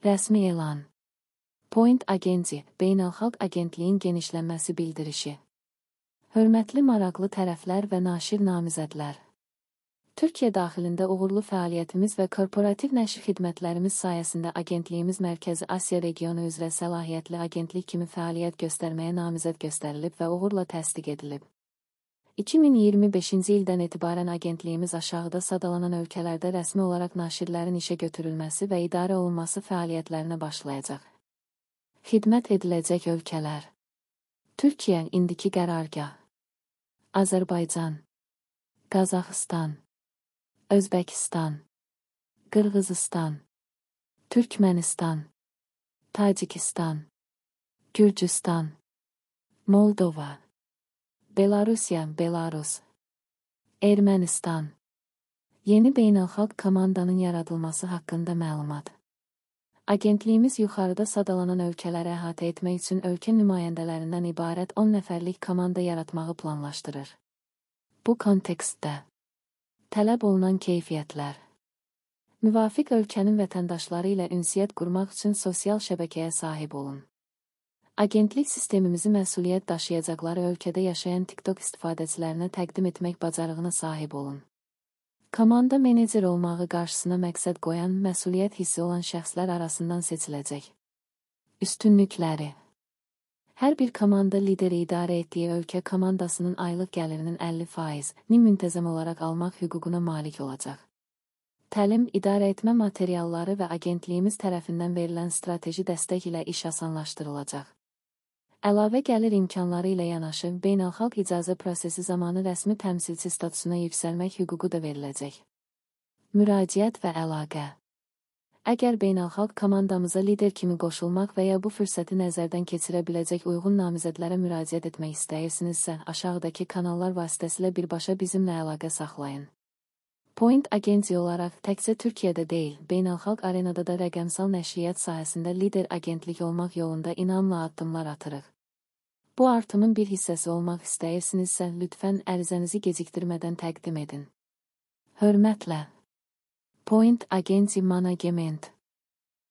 Rəsmi elan. Point Agency, beynəlxalq agentliyin genişlənməsi bildirişi. Hörmətli maraqlı tərəflər və naşir namizədlər. Türkiyə daxilində uğurlu fəaliyyətimiz və korporativ nəşr xidmətlərimiz sayəsində agentliyimiz Mərkəzi Asiya regionu üzrə səlahiyyətli agentlik kimi fəaliyyət göstərməyə namizəd göstərilib və uğurla təsdiq edilib. 2025-ci ildən etibarən agentliyimiz aşağıda sadalanan ölkələrdə rəsmi olaraq naşirlərin işə götürülməsi və idarə olunması fəaliyyətlərinə başlayacaq. Xidmət ediləcək ölkələr: Türkiyə, indiki qərargah, Azərbaycan, Qazaxıstan, Özbəkistan, Qırğızıstan, Türkmənistan, Tacikistan, Gürcüstan, Moldova, Belarusiya, Belarus, Ermənistan. Yeni beynəlxalq komandanın yaradılması haqqında məlumat. Agentliyimiz yuxarıda sadalanan ölkələri əhatə etmək üçün ölkə nümayəndələrindən ibarət 10 nəfərlik komanda yaratmağı planlaşdırır. Bu kontekstdə tələb olunan keyfiyyətlər: müvafiq ölkənin vətəndaşları ilə ünsiyyət qurmaq üçün sosial şəbəkəyə sahib olun. Agentlik sistemimizi məsuliyyət daşıyacaqları ölkədə yaşayan TikTok istifadəçilərinə təqdim etmək bacarığına sahib olun. Komanda menecer olmağı qarşısına məqsəd qoyan, məsuliyyət hissi olan şəxslər arasından seçiləcək. Üstünlükləri: hər bir komanda lideri idarə etdiyi ölkə komandasının aylıq gəlirinin 50%-ni müntəzəm olaraq almaq hüququna malik olacaq. Təlim, idarə etmə materialları və agentliyimiz tərəfindən verilən strateji dəstək ilə iş asanlaşdırılacaq. Əlavə gəlir imkanları ilə yanaşı, beynəlxalq icazə prosesi zamanı rəsmi təmsilçi statusuna yüksəlmək hüququ da veriləcək. Müraciət və əlaqə: əgər beynəlxalq komandamıza lider kimi qoşulmaq və ya bu fürsəti nəzərdən keçirə biləcək uyğun namizədlərə müraciət etmək istəyirsinizsə, aşağıdakı kanallar vasitəsilə birbaşa bizimlə əlaqə saxlayın. Point Agency olaraq təkcə Türkiyədə deyil, beynəlxalq arenada da rəqəmsal nəşriyyat sahəsində lider agentlik olmaq yolunda inamla addımlar atırıq. Bu artımın bir hissəsi olmaq istəyirsinizsə, lütfən ərizənizi gecikdirmədən təqdim edin. Hörmətlə. Point Agency Management.